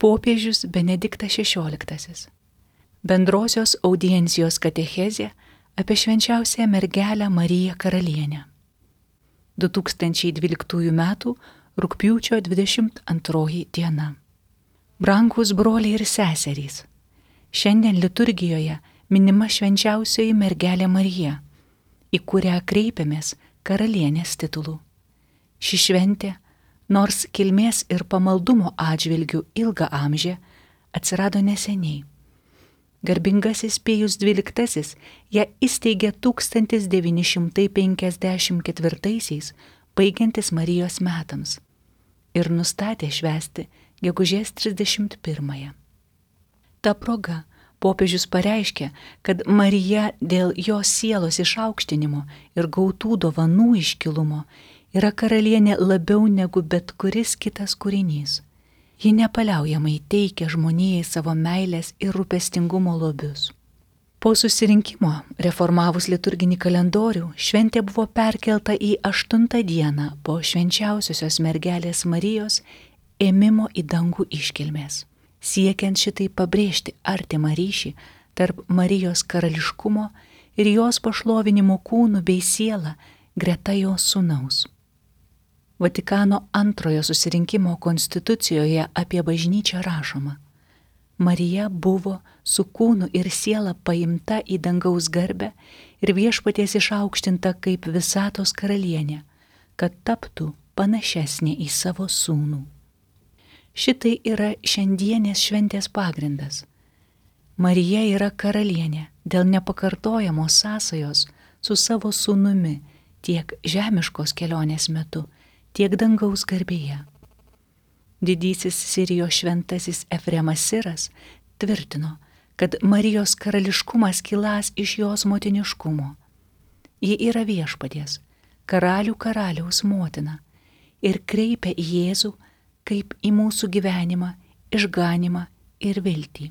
Popiežius Benediktas XVI. Bendrosios audiencijos katechezė apie švenčiausiąją mergelę Mariją Karalienę. 2012 m. rugpjūčio 22 diena. Brangūs broliai ir seserys, šiandien liturgijoje minima švenčiausioji mergelė Marija, į kurią kreipiamės karalienės titulu. Ši šventė, nors kilmės ir pamaldumo atžvilgių ilgą amžių, atsirado neseniai. Garbingasis Pijus XII ją įsteigė 1954, baigiantis Marijos metams, ir nustatė švęsti gegužės 31. Ta proga popiežius pareiškė, kad Marija dėl jos sielos išaukštinimo ir gautų dovanų iškilumo yra karalienė labiau negu bet kuris kitas kūrinys. Ji nepaliaujamai teikia žmonijai savo meilės ir rūpestingumo lobius. Po susirinkimo, reformavus liturginį kalendorių, šventė buvo perkelta į 8 dieną po švenčiausiosios mergelės Marijos ėmimo į dangų iškilmės, siekiant šitai pabrėžti artimą ryšį tarp Marijos karališkumo ir jos pašlovinimo kūnų bei sielą greta jos sūnaus. Vatikano antrojo susirinkimo konstitucijoje apie bažnyčią rašoma: Marija buvo su kūnu ir siela paimta į dangaus garbę ir viešpaties išaukštinta kaip visatos karalienė, kad taptų panašesnė į savo sūnų. Šitai yra šiandienės šventės pagrindas. Marija yra karalienė dėl nepakartojamos sąsajos su savo sūnumi tiek žemiškos kelionės metu, tiek dangaus garbėje. Didysis Sirijos šventasis Efremas Siras tvirtino, kad Marijos karališkumas kiląs iš jos motiniškumo. Ji yra viešpaties, karalių karaliaus motina ir kreipia į Jėzų kaip į mūsų gyvenimą, išganimą ir viltį.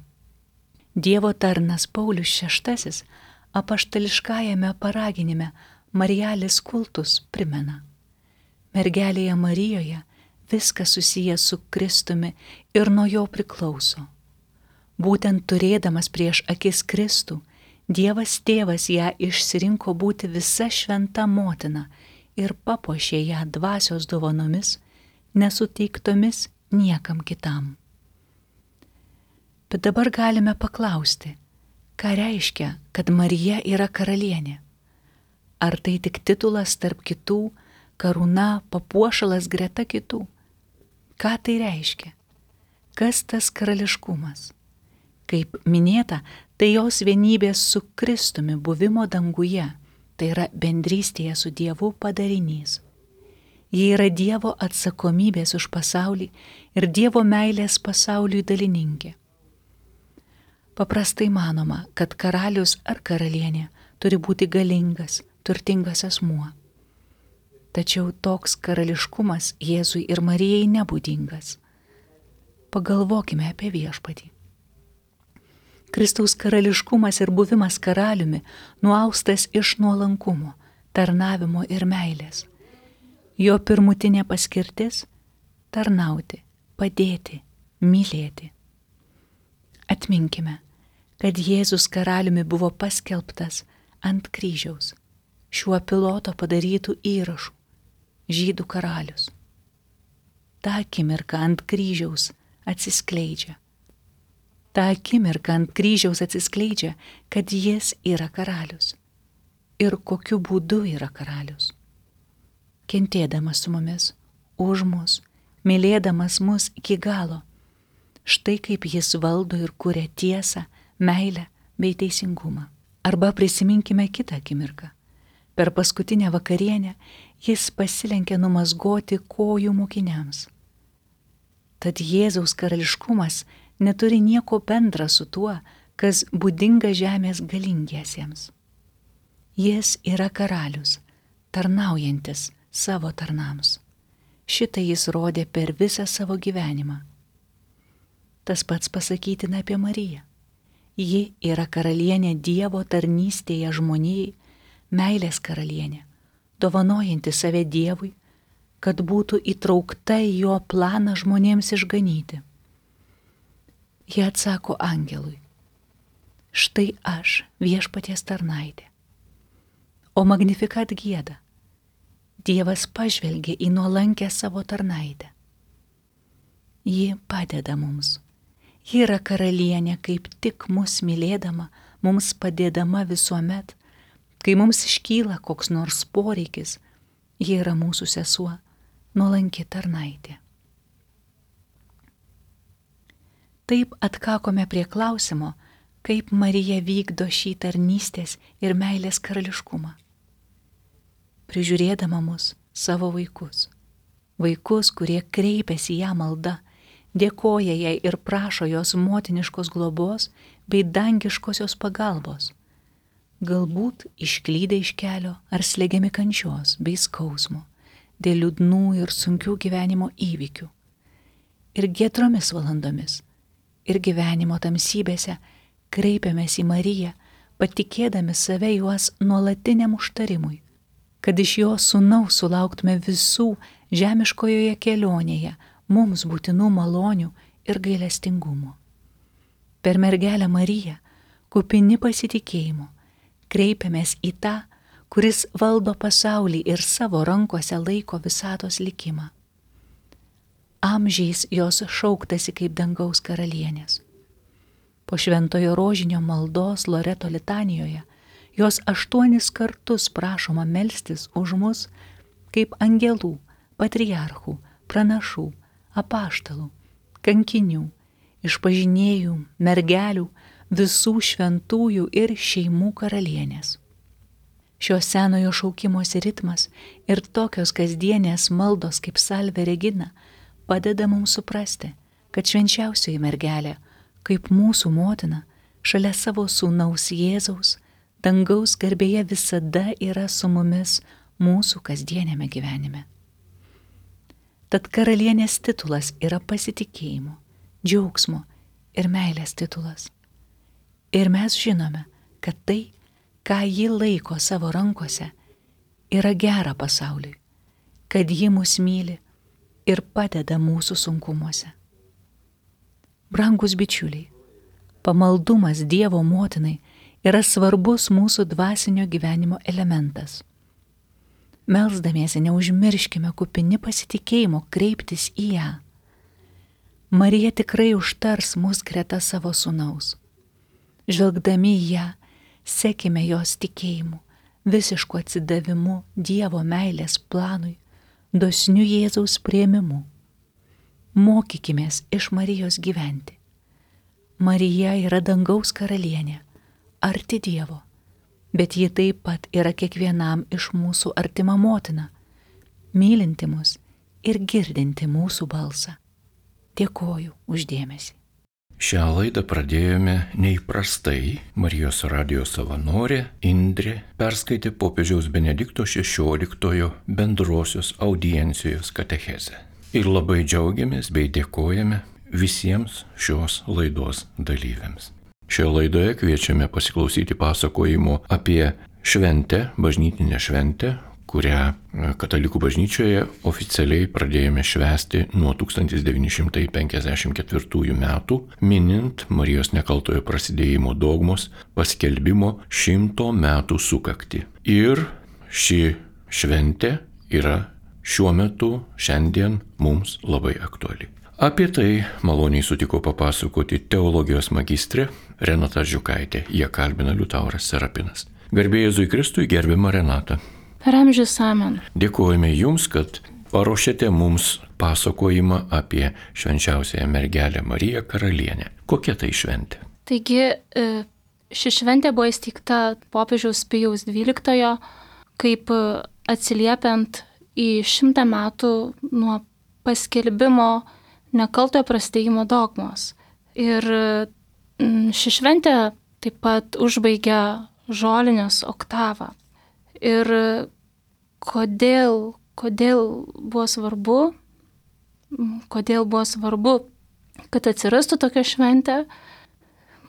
Dievo tarnas Paulius VI apaštališkajame paraginime Marijalis kultus primena: mergelėje Marijoje viskas susijęs su Kristumi ir nuo jo priklauso. Būtent turėdamas prieš akis Kristų, Dievas Tėvas ją išsirinko būti visa šventa motina ir papuošė ją dvasios dovanomis, nesuteiktomis niekam kitam. Bet dabar galime paklausti, ką reiškia, kad Marija yra karalienė? Ar tai tik titulas tarp kitų, karūna, papuošalas greta kitų? Ką tai reiškia? Kas tas karališkumas? Kaip minėta, tai jos vienybės su Kristumi buvimo danguje, tai yra bendrystėje su Dievu padarinys. Ji yra Dievo atsakomybės už pasaulį ir Dievo meilės pasauliui dalininkė. Paprastai manoma, kad karalius ar karalienė turi būti galingas, turtingas asmuo. Tačiau toks karališkumas Jėzui ir Marijai nebūdingas. Pagalvokime apie viešpatį. Kristaus karališkumas ir buvimas karaliumi nuaustas iš nuolankumo, tarnavimo ir meilės. Jo pirmutinė paskirtis - tarnauti, padėti, mylėti. Atminkime, kad Jėzus karaliumi buvo paskelbtas ant kryžiaus, šiuo piloto padarytų įrašų, žydų karalius. Ta akimirka ant kryžiaus atsiskleidžia. Kad jis yra karalius. Ir kokiu būdu yra karalius. Kentėdamas su mumis, už mus, mylėdamas mus iki galo. Štai kaip jis valdo ir kuria tiesą, meilę bei teisingumą. Arba prisiminkime kitą akimirką. Per paskutinę vakarienę jis pasilenkė numazgoti kojų mokiniams. Tad Jėzaus karališkumas neturi nieko bendra su tuo, kas būdinga žemės galingiesiems. Jis yra karalius, tarnaujantis savo tarnams. Šitą jis rodė per visą savo gyvenimą. Tas pats pasakytina apie Mariją. Ji yra karalienė Dievo tarnystėje žmonijai, meilės karalienė, dovanojanti save Dievui, kad būtų įtraukta į jo planą žmonėms išganyti. Jie atsako angelui: štai aš, Viešpaties tarnaitė. O Magnificat gieda: Dievas pažvelgė į nuolankę savo tarnaitę. Ji padeda mums. Ji yra karalienė, kaip tik mus mylėdama, mums padėdama visuomet, kai mums iškyla koks nors poreikis. Ji yra mūsų sesuo, nuolanki tarnaitė. Taip atkakome prie klausimo, kaip Marija vykdo šį tarnystės ir meilės karališkumą. Prižiūrėdama mus, savo vaikus, kurie kreipiasi ją malda, dėkoja jai ir prašo jos motiniškos globos bei dangiškosios pagalbos, galbūt išklydę iš kelio ar slegiami kančios bei skausmo dėl liūdnų ir sunkių gyvenimo įvykių. Ir giedromis valandomis, ir gyvenimo tamsybėse kreipiamės į Mariją, patikėdami save juos nuolatiniam užtarimui, kad iš jos sūnaus sulauktume visų žemiškojoje kelionėje mums būtinų malonių ir gailestingumo. Per mergelę Mariją, kupini pasitikėjimo, kreipiamės į tą, kuris valdo pasaulį ir savo rankose laiko visatos likimą. Amžiais jos šauktasi kaip dangaus karalienės. Po šventojo rožinio maldos Loreto litanijoje jos 8 kartus prašoma melstis už mus kaip angelų, patriarchų, pranašų, apaštalų, kankinių, išpažinėjų, mergelių, visų šventųjų ir šeimų karalienės. Šio senojo šaukimosi ritmas ir tokios kasdienės maldos kaip Salve Regina padeda mums suprasti, kad švenčiausioji mergelė, kaip mūsų motina, šalia savo sūnaus Jėzaus, dangaus garbėje visada yra su mumis mūsų kasdienėme gyvenime. Tad karalienės titulas yra pasitikėjimo, džiaugsmo ir meilės titulas. Ir mes žinome, kad tai, ką ji laiko savo rankose, yra gera pasauliui, kad ji mus myli ir padeda mūsų sunkumuose. Brangus bičiuliai, pamaldumas Dievo motinai yra svarbus mūsų dvasinio gyvenimo elementas. Melsdamiesi neužmirškime kupini pasitikėjimo kreiptis į ją. Marija tikrai užtars mus greta savo sūnaus. Žvelgdami į ją, sekime jos tikėjimu, visišku atsidavimu Dievo meilės planui, dosniu Jėzaus priėmimu. Mokykimės iš Marijos gyventi. Marija yra dangaus karalienė, arti Dievo, bet ji taip pat yra kiekvienam iš mūsų artima motina, mylinti mus ir girdinti mūsų balsą. Dėkoju už dėmesį. Šią laidą pradėjome neįprastai. Marijos radijo savanorė Indrė perskaitė popiežiaus Benedikto XVI bendrosios audiencijos katechezę. Ir labai džiaugiamės bei dėkojame visiems šios laidos dalyviams. Šioje laidoje kviečiame pasiklausyti pasakojimo apie šventę, bažnytinę šventę, kurią Katalikų bažnyčioje oficialiai pradėjome švęsti nuo 1954 metų, minint Marijos nekaltojo prasidėjimo dogmos paskelbimo 100 metų sukaktį. Ir ši šventė yra šiuo metu, šiandien mums labai aktuali. Apie tai maloniai sutiko papasakoti teologijos magistrė Renata Žiukaitė. Jie kalbina Liutauras Serapinas. Garbė Jėzui Kristui, gerbiama Renata. Per amžius amen. Dėkojame Jums, kad paruošėte mums pasakojimą apie švenčiausiąją mergelę Mariją Karalienę. Kokia tai šventė? Taigi, ši šventė buvo įsteigta popiežiaus Pijaus XII, kaip atsiliepiant į 100 metų nuo paskelbimo nekaltojo prasidėjimo dogmos. Ir ši šventė taip pat užbaigia žolinės oktavą. Ir kodėl buvo svarbu, kad atsirastų tokia šventė?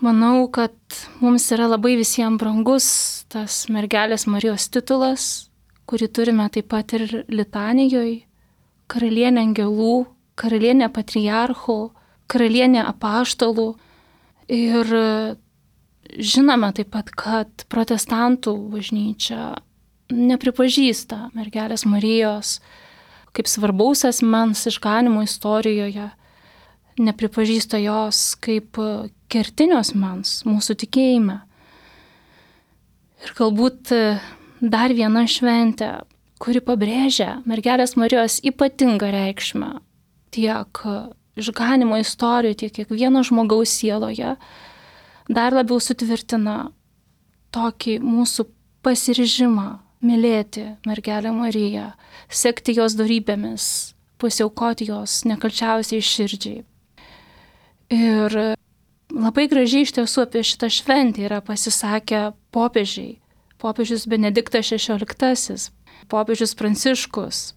Manau, kad mums yra labai visiems brangus tas mergelės Marijos titulas, kurį turime taip pat ir litanijoje, karalienė angelų, karalienė patriarchų, karalienė apaštalų, Ir žinome taip pat, kad protestantų bažnyčia nepripažįsta mergelės Marijos kaip svarbaus asmens išganimo istorijoje, nepripažįsta jos kaip kertinio asmens mūsų tikėjime. Ir galbūt dar viena šventė, kuri pabrėžia mergelės Marijos ypatingą reikšmę tiek išganimo istorijoje, tiek kiekvieno žmogaus sieloje, dar labiau sutvirtina tokį mūsų pasiryžimą mylėti mergelę Mariją, sekti jos dorybėmis, pasiaukoti jos nekalčiausiai širdžiai. Ir labai gražiai iš tiesų apie šitą šventę yra pasisakę popiežiai. Popiežius Benediktas XVI, popiežius Pranciškus.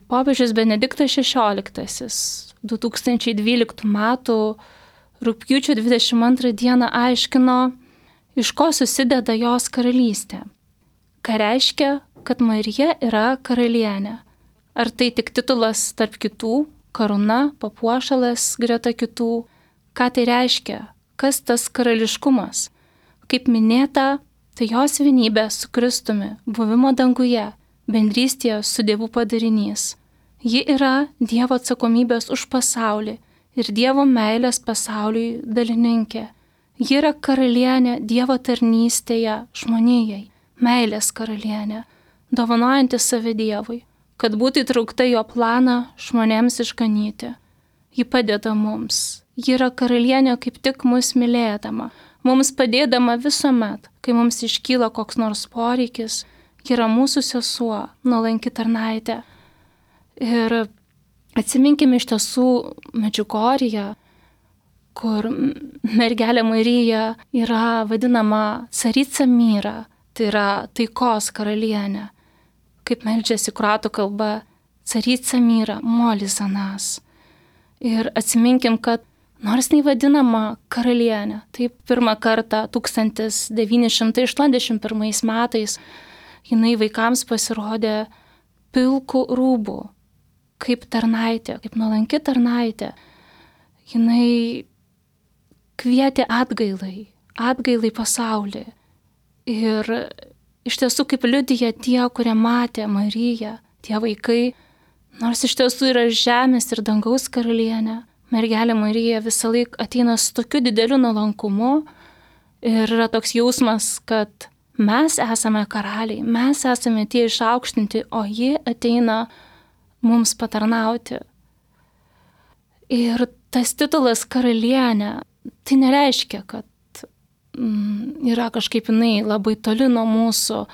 Popiežius Benediktas XVI 2012 m. rugpjūčio 22 d. aiškino, iš ko susideda jos karalystė. Ką reiškia, kad Marija yra karalienė? Ar tai tik titulas tarp kitų, karūna, papuošalas greta kitų? Ką tai reiškia? Kas tas karališkumas? Kaip minėta, tai jos vienybė su Kristumi, buvimo danguje, bendrystėje su Dievu padarinys. Ji yra Dievo atsakomybės už pasaulį ir Dievo meilės pasauliui dalininkė. Ji yra karalienė Dievo tarnystėje žmonijai, meilės karalienė, dovanojanti save Dievui, kad būtų įtraukta jo planą žmonėms išganyti. Ji padeda mums. Ji yra karalienė kaip tik mus mylėdama, mums padėdama visuomet, kai mums iškyla koks nors poreikis. Ji yra mūsų sesuo, nuolanki tarnaitė. Ir atsiminkime iš tiesų Medžiugorję, kur mergelė Marija yra vadinama Carica Mira, tai yra taikos karalienė. Kaip meldžiasi kroatų kalba Carica Mira, molis za nas. Ir atsiminkim, kad nors jinai vadinama karalienė, taip pirmą kartą 1981 metais jinai vaikams pasirodė pilkų rūbų, kaip tarnaitė, kaip nuolanki tarnaitė. Jinai kvietė atgailai pasaulį. Ir iš tiesų kaip liudija tie, kurie matė Mariją, tie vaikai, nors iš tiesų yra žemės ir dangaus karalienė, mergelė Marija visą laiką ateina su tokiu dideliu nuolankumu ir yra toks jausmas, kad mes esame karaliai, mes esame tie išaukštinti, o ji ateina mums patarnauti. Ir tas titulas karalienė, tai nereiškia, kad yra kažkaip jinai labai toli nuo mūsų,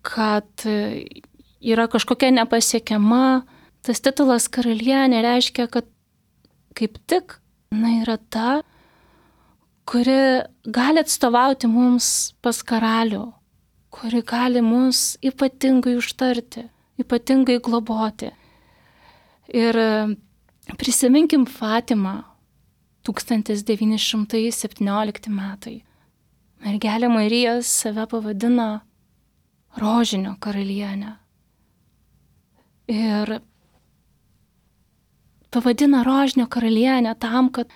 kad yra kažkokia nepasiekiama. Tas titulas karalienė reiškia, kad kaip tik jinai yra ta, kuri gali atstovauti mums pas karalių, kuri gali mus ypatingai užtarti, ypatingai globoti. Ir prisiminkim Fatimą, 1917 metai. Mergelė Marija save pavadina rožinio karalienę. Ir pavadina rožinio karalienę tam, kad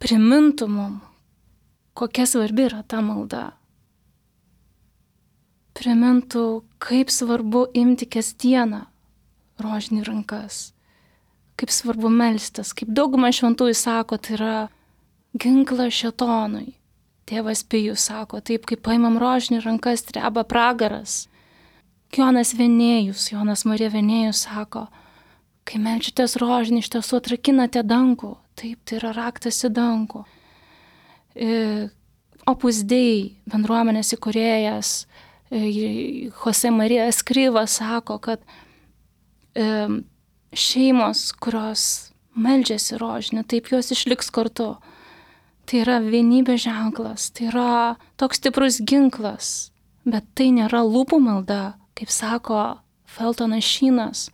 primintų mum, kokia svarbi yra ta malda. Primintų, kaip svarbu imti kasdieną rožinį rankas. Kaip svarbu melstis, kaip dauguma šventųjų sako, tai yra ginklas šėtonui. Tėvas Pijus sako, taip kaip paimam rožinį rankas, dreba pragaras. Jonas Marija Venėjus sako, kai meldžiatės rožinį, iš tiesų atrakinate dangų, taip, tai yra raktas į dangų. Opus Dei bendruomenės įkūrėjas Jose Marija Escriva sako, kad šeimos, kurios meldžiasi rožinį, taip jos išliks kartu. Tai yra vienybės ženklas, tai yra toks stiprus ginklas, bet tai nėra lūpų malda, kaip sako Feltonas Šynas,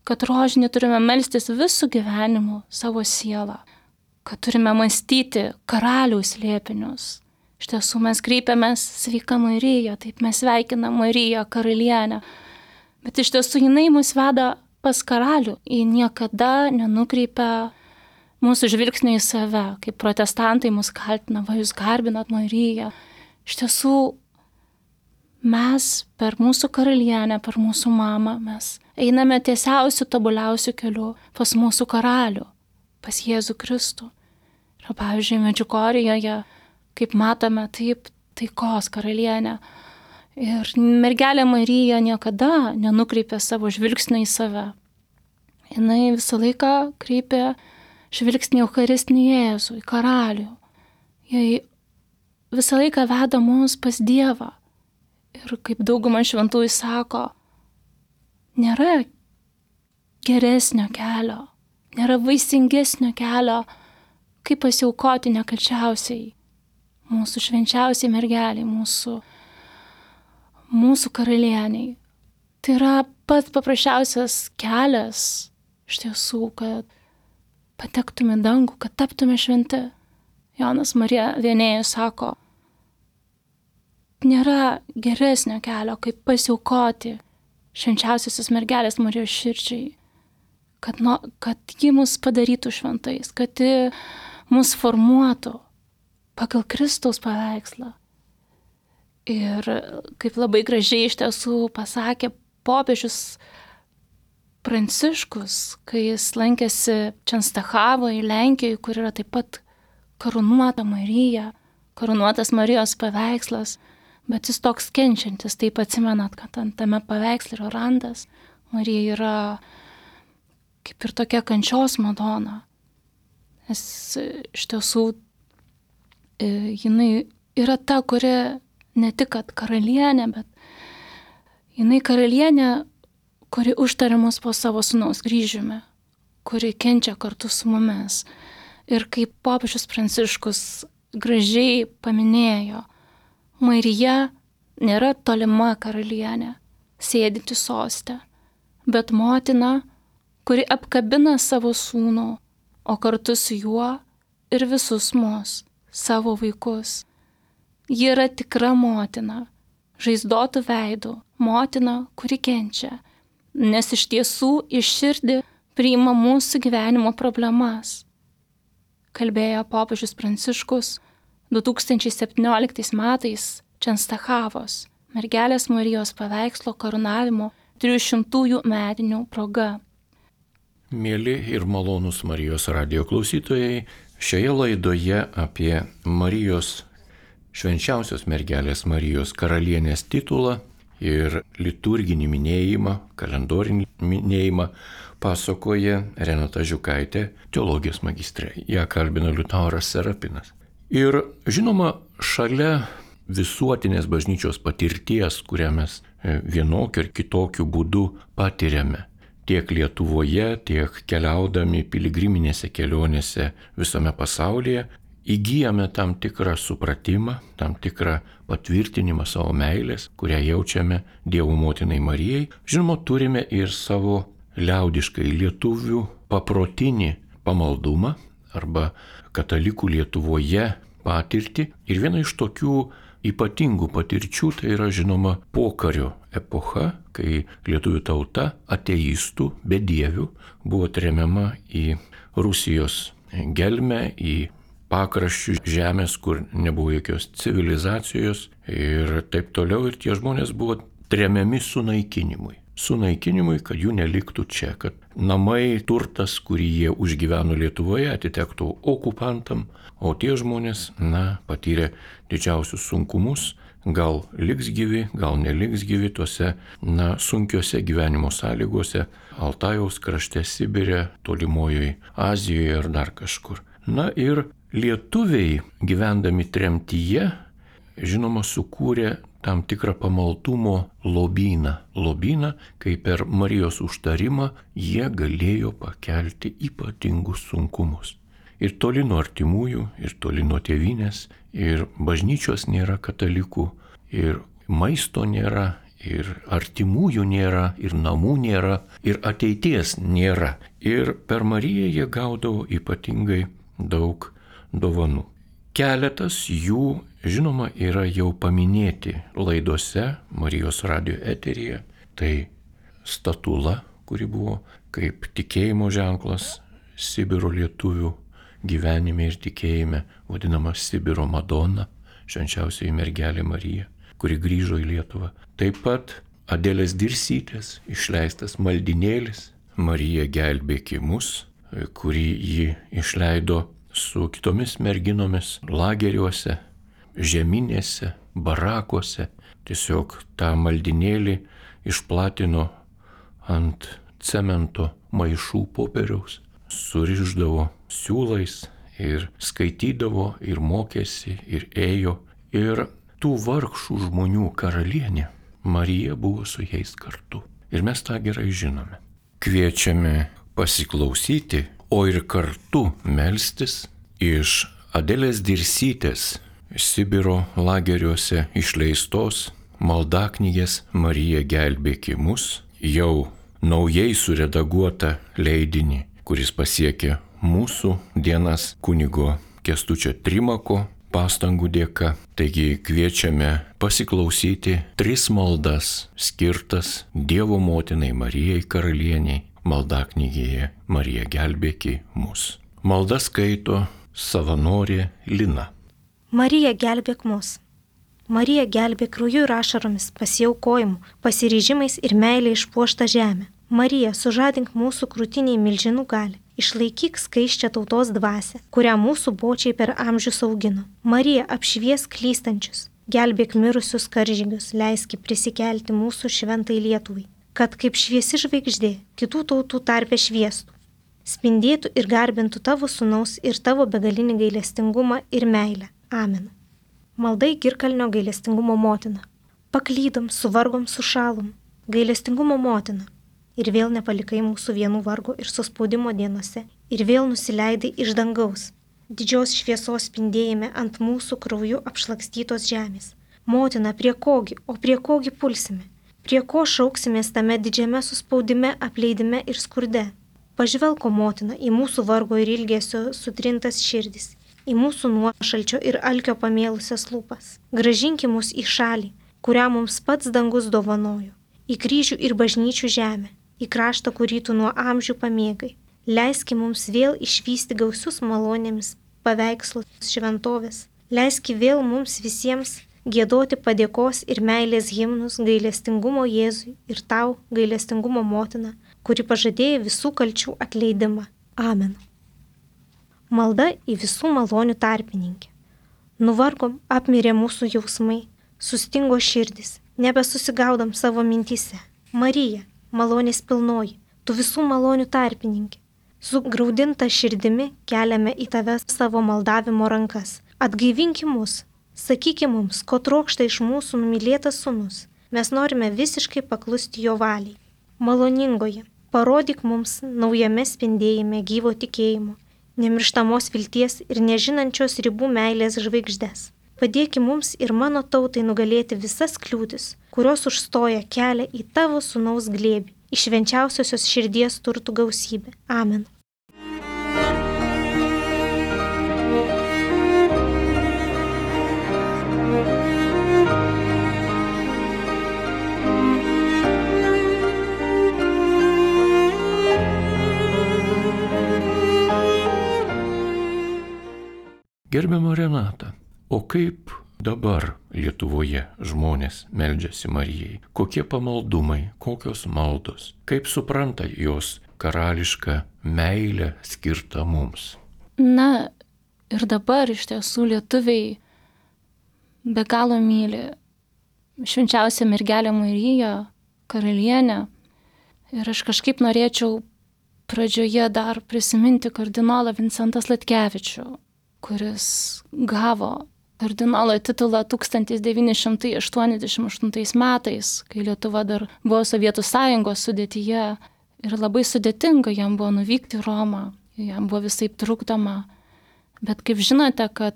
kad rožinį turime melstis visų gyvenimu savo sielą, kad turime mąstyti karaliaus slėpinius. Iš tiesų mes kreipiamės sveika Marija, taip mes sveikinam Mariją karalienę, bet iš tiesų jinai mus veda pas karalių, ji niekada nenukreipia mūsų žvilgsnio į save, kaip protestantai mus kaltina, va jūs garbinat Mariją. Iš tiesų, mes per mūsų karalienę, per mūsų mamą, mes einame tiesiausių, tobuliausių kelių pas mūsų karalių, pas Jėzų Kristų. Ir pavyzdžiui, Medžiugorjėje, kaip matome, taip taikos karalienė. Ir mergelė Marija niekada nenukreipė savo žvilgsnį į save. Jinai visą laiką kreipė žvilgsnį į Eucharistinį Jėzų, į karalių. Jie visą laiką veda mus pas Dievą. Ir kaip dauguma šventųjų sako, nėra geresnio kelio, nėra vaisingesnio kelio, kaip pasiaukoti nekalčiausiai mūsų švenčiausiai mergeliai, mūsų karalieniai. Tai yra pats paprasčiausias kelias iš tiesų, kad patektume į dangų, kad taptume šventi. Jonas Marija Vienėjus sako, nėra geresnio kelio, kaip pasiaukoti švenčiausiosios mergelės Marijos širdžiai, kad ji mus padarytų šventais, kad ji mus formuotų pagal Kristaus paveikslą. Ir kaip labai gražiai iš tiesų pasakė popiežius Pranciškus, kai jis lankėsi Čenstachavoje, Lenkijoje, kur yra taip pat karūnuota Marija, karūnuotas Marijos paveikslas, bet jis toks kenčiantis, taip atsimenat, kad tame paveiksle yra randas, Marija yra kaip ir tokia kančios Madona. Nes iš tiesų jinai yra ta, kuri ne tik kad karalienė, bet jinai karalienė, kuri užtaria mus po savo sūnaus kryžiumi, kuri kenčia kartu su mumis. Ir kaip popiežius Pranciškus gražiai paminėjo, Marija nėra tolima karalienė, sėdinti soste, bet motina, kuri apkabina savo sūnų, o kartu su juo ir visus mus, savo vaikus. Ji yra tikra motina, žaizdotų veidų, motina, kuri kenčia, nes iš tiesų iš širdį priima mūsų gyvenimo problemas. Kalbėjo popiežius Pranciškus 2017 metais Čenstachavos mergelės Marijos paveikslo karūnavimo 300 metinių proga. Mėly ir malonūs Marijos radijo klausytojai, šioje laidoje apie Marijos, švenčiausios mergelės Marijos karalienės titulą ir liturginį minėjimą, kalendorinį minėjimą pasakoja Renata Žiukaitė, teologijos magistrė. Ją kalbino Liutauras Serapinas. Ir žinoma, šalia visuotinės bažnyčios patirties, kurią mes vienokiu ar kitokiu būdu patiriame, tiek Lietuvoje, tiek keliaudami piligriminėse kelionėse visame pasaulyje, įgyjame tam tikrą supratimą, tam tikrą patvirtinimą savo meilės, kurią jaučiame Dievo motinai Marijai. Žinoma, turime ir savo liaudiškai lietuvių paprotinį pamaldumą arba katalikų Lietuvoje patirtį. Ir viena iš tokių ypatingų patirčių tai yra žinoma pokario epocha, kai lietuvių tauta ateistų, bedievių buvo tremiama į Rusijos gelmę, į pakraščių žemės, kur nebuvo jokios civilizacijos ir taip toliau. Ir tie žmonės buvo tremiami sunaikinimui. Sunaikinimui, kad jų neliktų čia, kad namai, turtas, kurį jie užgyveno Lietuvoje, atitektų okupantam, o tie žmonės, patyrė didžiausius sunkumus, gal liks gyvi, gal neliks gyvi tuose, sunkiose gyvenimo sąlygose, Altajaus krašte, Sibire, tolimojoje Azijoje ar dar kažkur. Ir lietuviai, gyvendami tremtyje, žinoma, sukūrė tam tikrą pamaldumo lobyną. Lobyną, kai per Marijos užtarimą jie galėjo pakelti ypatingus sunkumus. Ir toli nuo artimųjų, ir toli nuo tėvynės, ir bažnyčios nėra katalikų, ir maisto nėra, ir artimųjų nėra, ir namų nėra, ir ateities nėra. Ir per Mariją jie gaudavo ypatingai daug dovanų. Keletas jų, žinoma, yra jau paminėti laidose Marijos radijo eteryje. Tai statula, kuri buvo kaip tikėjimo ženklas Sibiro lietuvių, gyvenime ir tikėjime vadinama Sibiro Madona, švenčiausioji mergelė Marija, kuri grįžo į Lietuvą. Taip pat Adelės Dirsytės išleistas maldinėlis Marija gelbėki mus, kurį ji išleido su kitomis merginomis lageriuose, žeminėse, barakuose. Tiesiog tą maldinėlį išplatino ant cemento maišų popieriaus, surišdavo siūlais ir skaitydavo, ir mokėsi, ir ėjo. Ir tų vargšų žmonių karalienė Marija buvo su jais kartu. Ir mes tą gerai žinome. Kviečiame pasiklausyti, o ir kartu melstis iš Adelės Dirsytės Sibiro lageriuose išleistos maldaknygės Marija gelbėki mus, jau naujai suredaguotą leidinį, kuris pasiekė mūsų dienas kunigo Kęstučio Trimako pastangų dėka. Taigi kviečiame pasiklausyti 3 maldas skirtas Dievo motinai Marijai karalieniai maldaknygėje Marija gelbėki mus. Malda skaito savanorė Lina. Marija gelbėk mus. Marija gelbėk krauju ir ašaromis, pasiaukojimu, pasiryžimais ir meilė išpuoštą žemę. Marija, sužadink mūsų krūtiniai milžinų gali. Išlaikyk skaisčią tautos dvasią, kurią mūsų bočiai per amžius augino. Marija, apšviesk klystančius, gelbėk mirusius karžygius, leiski prisikelti mūsų šventai Lietuvai, kad kaip šviesi žvaigždė kitų tautų tarpe šviestų, spindėtų ir garbintų tavo sūnaus ir tavo begalinį gailestingumą ir meilę. Amen. Maldai Girkalnio gailestingumo motina. Paklydom, suvargom, sušalom, gailestingumo motina. Ir vėl nepalikai mūsų vienų vargo ir suspaudimo dienose, ir vėl nusileidai iš dangaus, didžios šviesos spindėjime ant mūsų krauju apšlakstytos žemės. Motina, prie kogi pulsime, prie ko šauksimės tame didžiame suspaudime, apleidime ir skurde. Pažvelko, motina, į mūsų vargo ir ilgesio sutrintas širdis, į mūsų nuošalčio ir alkio pamėlusias lūpas. Grąžinki mus į šalį, kurią mums pats dangus dovanojo, į kryžių ir bažnyčių žemę, į kraštą, kurį tu nuo amžių pamėgai. Leiski mums vėl išvysti gausius malonėmis paveikslus šventovės. Leiski vėl mums visiems giedoti padėkos ir meilės himnus gailestingumo Jėzui ir tau, gailestingumo motina, kuri pažadėjo visų kalčių atleidimą. Amen. Malda į visų malonių tarpininkė. Nuvargom, apmirė mūsų jausmai, sustingo širdis, nebesusigaudom savo mintyse. Marija, malonės pilnoji, tu visų malonių tarpininkė. Su graudinta širdimi keliame į tave savo maldavimo rankas. Atgaivinki mus, sakyki mums, ko trokšta iš mūsų numylėtas sūnus. Mes norime visiškai paklusti jo valiai. Maloningoji, parodyk mums naujame spindėjime gyvo tikėjimo, nemirštamos vilties ir nežinančios ribų meilės žvaigždės. Padėki mums ir mano tautai nugalėti visas kliūtis, kurios užstoja kelią į tavo sūnaus glėbį, į švenčiausiosios širdies turtų gausybę. Amen. Gerbiama Renata, o kaip dabar Lietuvoje žmonės meldžiasi Marijai? Kokie pamaldumai, kokios maldos? Kaip supranta jos karališką meilę skirtą mums? Na, ir dabar iš tiesų lietuviai be galo myli švenčiausią mergelę Mariją, karalienę. Ir aš kažkaip norėčiau pradžioje dar prisiminti kardinolą Vincentą Sladkevičių, kuris gavo kardinolo titulą 1988 metais, kai Lietuva dar buvo Sovietų sąjungos sudėtyje ir labai sudėtinga jam buvo nuvykti į Romą, jam buvo visaip trukdoma. Bet kaip žinote, kad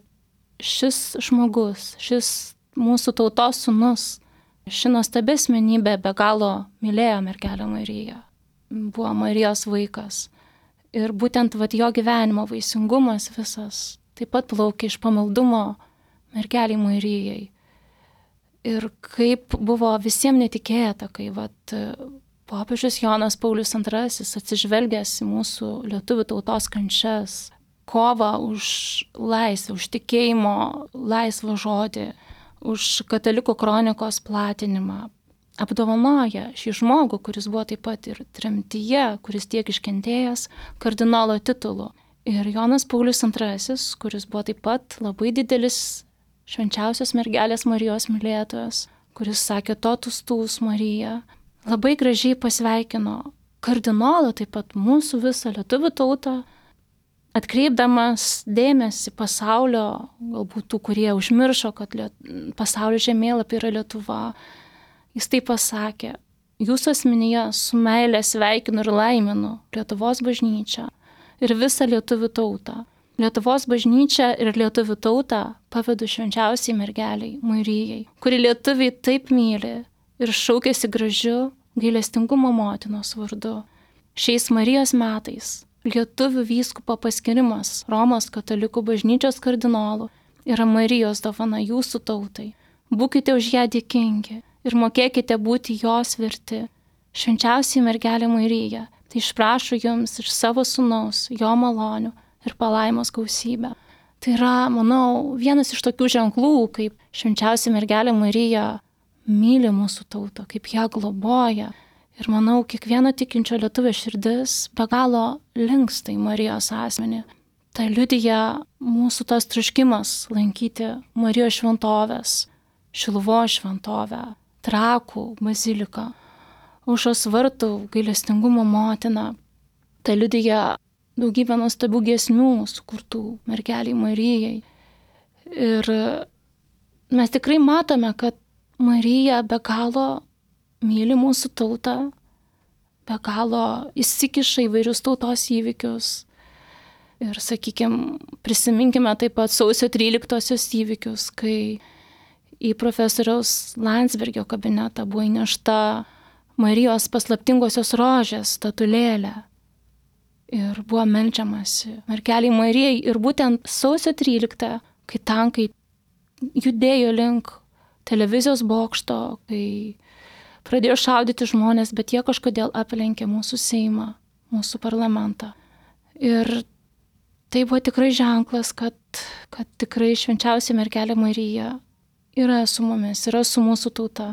šis žmogus, šis mūsų tautos sūnus, ši nuostabi asmenybė be galo mylėjo mergelę Mariją, buvo Marijos vaikas. Ir būtent jo gyvenimo vaisingumas visas taip pat plaukia iš pamaldumo mergelei Marijai. Ir kaip buvo visiems netikėta, kai popiežius Jonas Paulius II atsižvelgęs į mūsų lietuvių tautos kančias, kovą už laisvę, už tikėjimo laisvą žodį, už katalikų kronikos platinimą. Apdovanoja šį žmogų, kuris buvo taip pat ir tremtyje, kuris tiek iškentėjęs, kardinolo titulu. Ir Jonas Paulius II, kuris buvo taip pat labai didelis švenčiausios mergelės Marijos mylėtojas, kuris sakė totus tuus Marija, labai gražiai pasveikino kardinolą, taip pat mūsų visą lietuvių tautą, atkreipdamas dėmesį pasaulio, galbūt tų, kurie užmiršo, kad pasaulio žemėlapį yra Lietuva. Jis taip pasakė: jūsų asmenyje su meilė sveikinu ir laiminu Lietuvos bažnyčią ir visą lietuvių tautą. Lietuvos bažnyčią ir lietuvių tautą pavedu švenčiausiai mergeliai Marijai, kuri lietuviai taip myli ir šaukėsi gražiu gailestingumo motinos vardu. Šiais Marijos metais lietuvių vyskupo paskirimas Romos katalikų bažnyčios kardinolų yra Marijos dovana jūsų tautai. Būkite už ją dėkingi ir mokėkite būti jos verti. Švenčiausiai mergelė Marija tai išprašo jums iš savo sūnaus, jo malonių ir palaimos gausybę. Tai yra, manau, vienas iš tokių ženklų, kaip švenčiausia mergelė Marija myli mūsų tautą, kaip ją globoja. Ir manau, kiekvieno tikinčio lietuvio širdis be galo linksta į Marijos asmenį. Tai liudija mūsų tas troškimas lankyti Marijos šventovės, Šiluvos šventovę, Trakų baziliką, Aušros vartų gailestingumo motiną. Tai liudija daugybę nuostabių giesmių sukurtų mergeliai Marijai. Ir mes tikrai matome, kad Marija be galo myli mūsų tautą, be galo įsikiša įvairius tautos įvykius. Ir, sakykime, prisiminkime taip pat sausio 13-osios įvykius, kai į profesoriaus Landsbergio kabinetą buvo įnešta Marijos paslaptingosios rožės statulėlė. Ir buvo meldžiamasi mergeliai Marijai. Ir būtent sausio 13, kai tankai judėjo link televizijos bokšto, kai pradėjo šaudyti žmonės, bet jie kažkodėl aplenkė mūsų Seimą, mūsų parlamentą. Ir tai buvo tikrai ženklas, kad tikrai švenčiausia mergelė Marija yra su mumis, yra su mūsų tauta.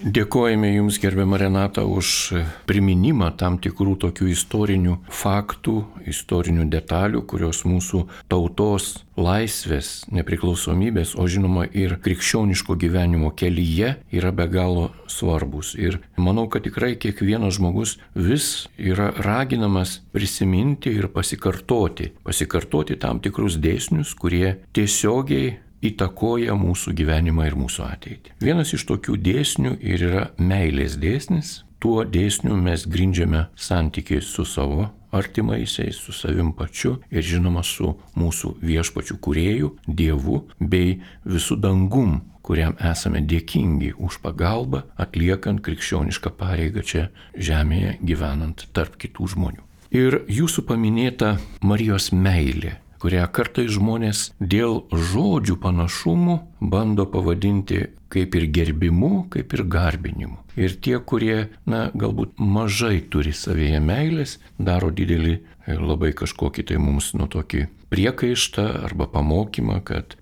Dėkojame Jums, gerbiama Renata, už priminimą tam tikrų tokių istorinių faktų, istorinių detalių, kurios mūsų tautos laisvės, nepriklausomybės, o žinoma ir krikščioniško gyvenimo kelyje yra be galo svarbus. Ir manau, kad tikrai kiekvienas žmogus vis yra raginamas prisiminti ir pasikartoti tam tikrus dėsnius, kurie tiesiogiai įtakoja mūsų gyvenimą ir mūsų ateitį. Vienas iš tokių dėsnių ir yra meilės dėsnis. Tuo dėsniu mes grindžiame santykiai su savo artimaisiais, su savim pačiu ir žinoma su mūsų viešpačiu kūrėju, Dievu bei visų dangum, kuriam esame dėkingi už pagalbą, atliekant krikščionišką pareigą čia žemėje, gyvenant tarp kitų žmonių. Ir jūsų paminėta Marijos meilė, kurią kartais žmonės dėl žodžių panašumų bando pavadinti kaip ir gerbimu, kaip ir garbinimu. Ir tie, kurie, galbūt mažai turi savyje meilės, daro didelį labai kažkokį tai mums tokį priekaištą arba pamokymą, kad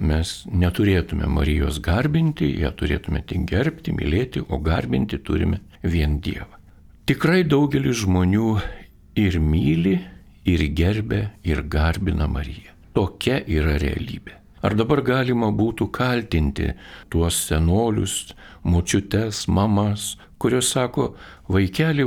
mes neturėtume Marijos garbinti, ją turėtume tik gerbti, mylėti, o garbinti turime vien Dievą. Tikrai daugelis žmonių ir myli, ir gerbia, ir garbina Mariją. Tokia yra realybė. Ar dabar galima būtų kaltinti tuos senolius, močiutes, mamas, kurios sako: vaikeli,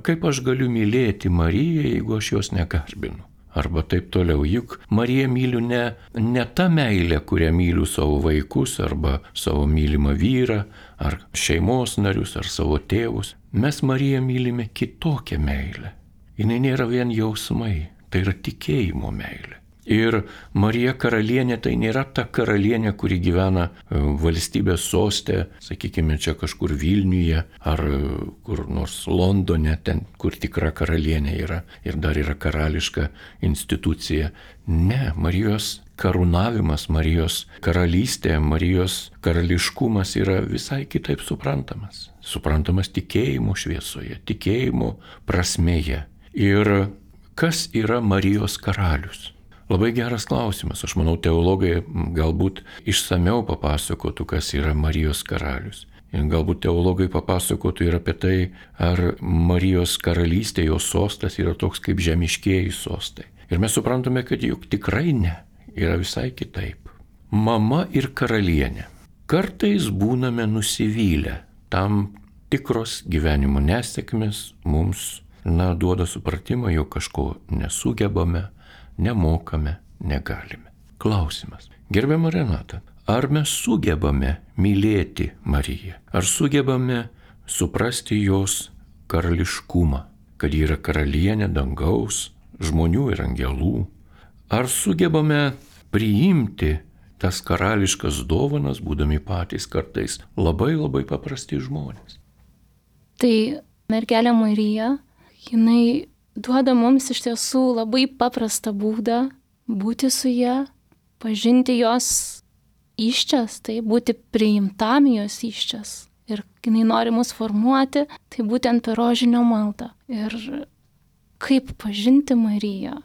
kaip aš galiu mylėti Mariją, jeigu aš jos negarbinu? Arba taip toliau, juk Mariją myliu ne tą meilę, kurią myliu savo vaikus, arba savo mylimą vyrą, ar šeimos narius, ar savo tėvus. Mes Mariją mylime kitokią meilę. Jis nėra vien jausmai, tai yra tikėjimo meilė. Ir Marija karalienė tai nėra ta karalienė, kuri gyvena valstybės soste, sakykime, čia kažkur Vilniuje ar kur nors Londone, ten, kur tikra karalienė yra ir dar yra karališka institucija. Ne, Marijos karūnavimas, Marijos karalystė, Marijos karališkumas yra visai kitaip suprantamas. Suprantamas tikėjimo šviesoje, tikėjimo prasmėje. Ir kas yra Marijos karalius? Labai geras klausimas. Aš manau, teologai galbūt išsameu papasakotų, kas yra Marijos karalius. Ir galbūt teologai papasakotų ir apie tai, ar Marijos karalystė, jos sostas yra toks kaip žemiškieji sostai. Ir mes suprantame, kad juk tikrai ne, yra visai kitaip. Mama ir karalienė. Kartais būname nusivylę, tam tikros gyvenimo nesėkmės mums, duoda supratimą, jog kažko nesugebame, nemokame, negalime. Klausimas. Gerbiama Renata, ar mes sugebame mylėti Mariją? Ar sugebame suprasti jos karališkumą, kad ji yra karalienė dangaus, žmonių ir angelų? Ar sugebame priimti tas karališkas dovanas, būdami patys kartais labai paprasti žmonės? Tai mergelė Marija, jinai duoda mums iš tiesų labai paprastą būdą būti su ja, pažinti jos įsčias, tai būti priimtam jos įsčias. Ir jinai nori mus formuoti, tai būtent per rožinio maldą. Ir kaip pažinti Mariją,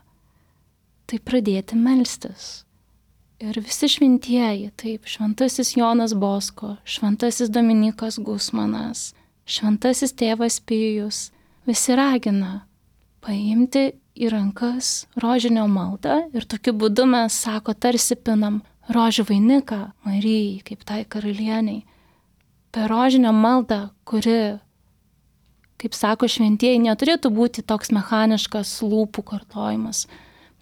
tai pradėti melstis. Ir visi šventieji, taip, šventasis Jonas Bosko, šventasis Dominikas Gusmanas, šventasis tėvas Pijus, visi ragina paimti į rankas rožinio maldą ir tokiu būdu mes, sako, tarsi pinam rožių vainiką Marijai, kaip tai karalieniai. Per rožinio maldą, kuri, kaip sako šventieji, neturėtų būti toks mechaniškas lūpų kartojimas.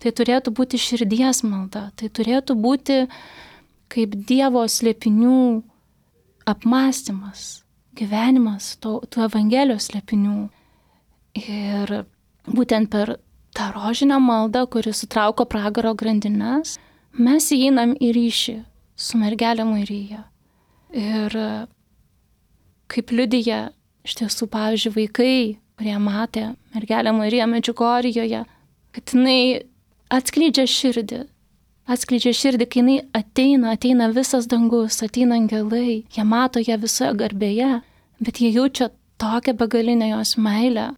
Tai turėtų būti širdies malda, tai turėtų būti kaip Dievo slėpinių apmąstymas, gyvenimas, tų Evangelijos slėpinių. Ir būtent per tą rožinę maldą, kuri sutrauko pragaro grandines, mes įeinam į ryšį su mergelė Marija. Ir kaip liudija iš tiesų, pavyzdžiui, vaikai, kurie matė mergelę Mariją Medžiugorjėje, kad jinai atskleidžia širdį, kai jinai ateina visas dangus, ateina angelai, jie mato ją visoje garbėje, bet jie jaučia tokią begalinę jos meilę,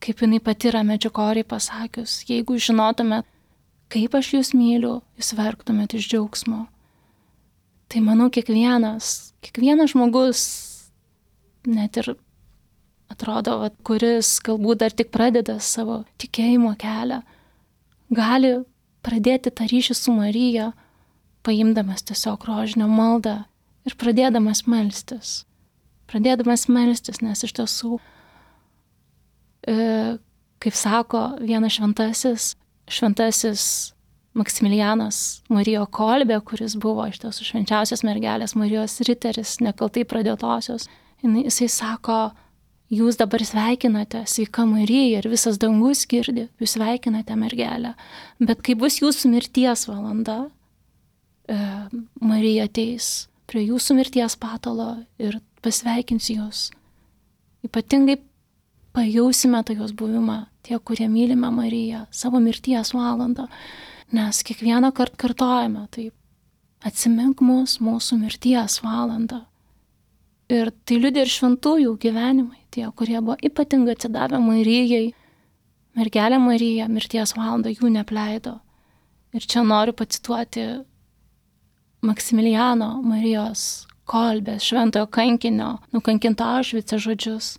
kaip jinai pati yra Medžiugorjėje pasakius, jeigu žinotumėt, kaip aš jūs myliu, jūs verktumėt iš džiaugsmo. Tai manau, kiekvienas žmogus, net ir atrodo, kuris galbūt dar tik pradeda savo tikėjimo kelią, gali pradėti tą ryšį su Marija, paimdamas tiesiog rožinio maldą ir pradėdamas melstis. Nes iš tiesų, kaip sako vienas šventasis Maksimilianas Marijo Kolbė, kuris buvo iš tiesų švenčiausios mergelės Marijos riteris, nekaltai pradėtosios, jisai sako, jūs dabar sveikinate, sveika Marija, ir visas dangus girdi, jūs sveikinate mergelę, bet kai bus jūsų mirties valanda, Marija ateis prie jūsų mirties patalo ir pasveikins jūs. Ypatingai pajausime tą jos buvimą, tie, kurie mylime Mariją, savo mirties valandą, nes kiekvieną kartą kartojame, taip, atsimink mus mūsų mirties valandą. Ir tai liudija ir šventųjų gyvenimai, tie, kurie buvo ypatingai atsidavę Marijai, mergelė Marija mirties valandą jų neapleido. Ir čia noriu pacituoti Maksimiliano Marijos Kolbės, šventojo kankinio, nukankinto Aušvice žodžius.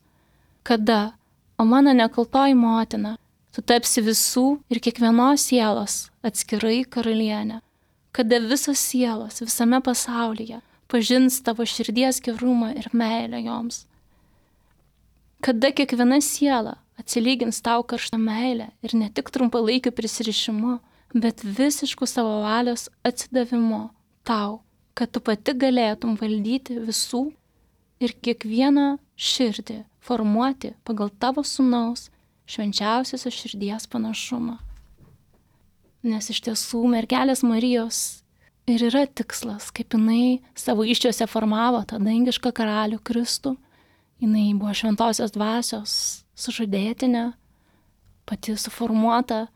Kada, o mano nekaltoji motina, tu tapsi visų ir kiekvienos sielos atskirai karalienė. Kada visos sielos visame pasaulyje pažins tavo širdies gerumą ir meilę joms. Kada kiekviena siela atsilygins tau karštą meilę ir ne tik trumpalaikiu prisirišimu, bet visišku savo valios atsidavimu tau, kad tu pati galėtum valdyti visų ir kiekvieną širdį formuoti pagal tavo sūnaus švenčiausiosios širdies panašumą. Nes iš tiesų mergelės Marijos ir yra tikslas, kaip jinai savo įsčiose formavo tą dangišką karalių Kristų. Jinai buvo šventosios dvasios sužadėtinė, pati suformuota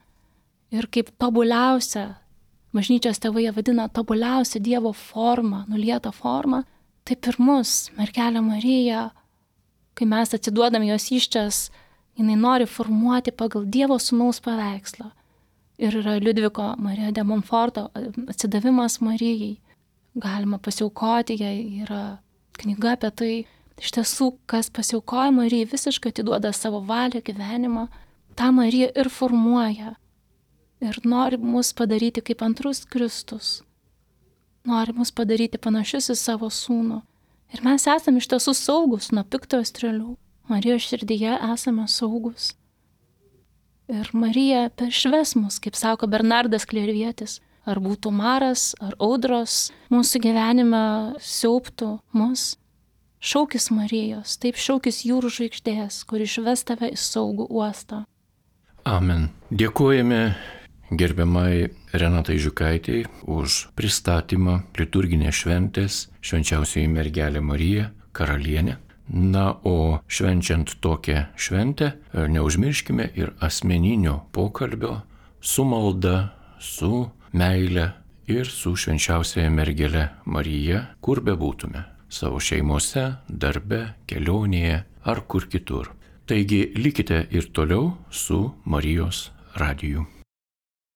ir kaip tobuliausia, bažnyčios tėvai ją vadina tobuliausia Dievo forma, nulieta forma, taip ir mus, mergelė Marija, kai mes atsiduodam jos įsčias, Jinai nori formuoti pagal Dievo Sūnaus paveikslą. Ir yra Liudviko Marija de Montforto atsidavimas Marijai. Galima pasiaukoti, jai yra knyga apie tai. Iš tiesų, kas pasiaukoja Marijai, visiškai atiduoda savo valią, gyvenimą. Ta Marija ir formuoja. Ir nori mus padaryti kaip antrus Kristus. Nori mus padaryti panašius į savo sūnų. Ir mes esame iš tiesų saugus nuo piktojo strėlių. Marijos širdyje esame saugus. Ir Marija peršves mus, kaip sako Bernardas Klervietis. Ar būtų maras, ar audros mūsų gyvenime siaubtų mus. Šaukis Marijos, taip šaukis jūrų žvaigždės, kur išves tave į saugų uostą. Amen. Dėkojame gerbiamai Renatai Žiukaitei už pristatymą liturginės šventės Švenčiausioji mergelė Marija, karalienė. Na, o švenčiant tokią šventę, neužmirškime ir asmeninio pokalbio su malda, su meile ir su Švenčiausiaja mergele Marija, kur bebūtume. Savo šeimose, darbe, kelionėje ar kur kitur. Taigi likite ir toliau su Marijos radiju.